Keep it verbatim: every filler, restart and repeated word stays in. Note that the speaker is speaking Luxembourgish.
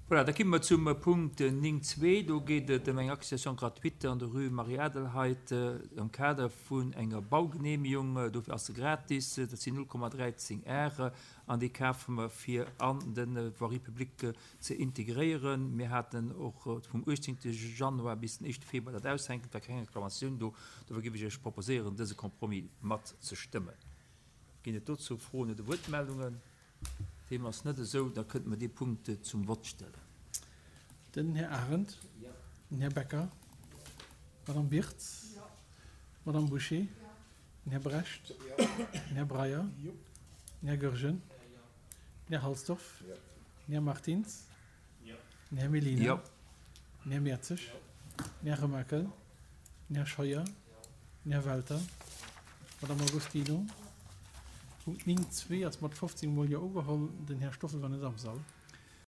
Voilà, da komme mer zum Punkt néng zwee. Do geet et ëm eng Accession gratuite an der Rue Marie-Adelheid am Kader vun enger Baugenehmigung. Dofir ass se gratis. Dat sinn null Komma dräizéng Are an déi kafe mer fir an de Voirie publique ze integréieren. Mir haten och vum uechtzéngte Januar bis den éischte Februar dat aushänken. Et war keng Reklamatioun do. Dofir géif ech Iech proposéieren, dëse Compromis mat ze stëmmen. Ginn et dozou Froen oder Wuertmeldungen? Deem ass net esou. Da kënnte mer dee Punkt zum Vott stellen. Den Här Arendt. Den Här Becker. D'Madame Birtz. D'Madame Bouché. Den Här Brecht. Den Här Breyer. Den Här Goergen. Den Här Halsdorf. Den Här Martins. Den Här Mellina. Den Här Mertzig. Den Här Remakel. Den Här Scheuer. Den Här Welter. D'Madame Agostino. Punkt néng zwee ass mat fofzéng Mol Jo ugeholl. Den Här Stoffel war net am Sall.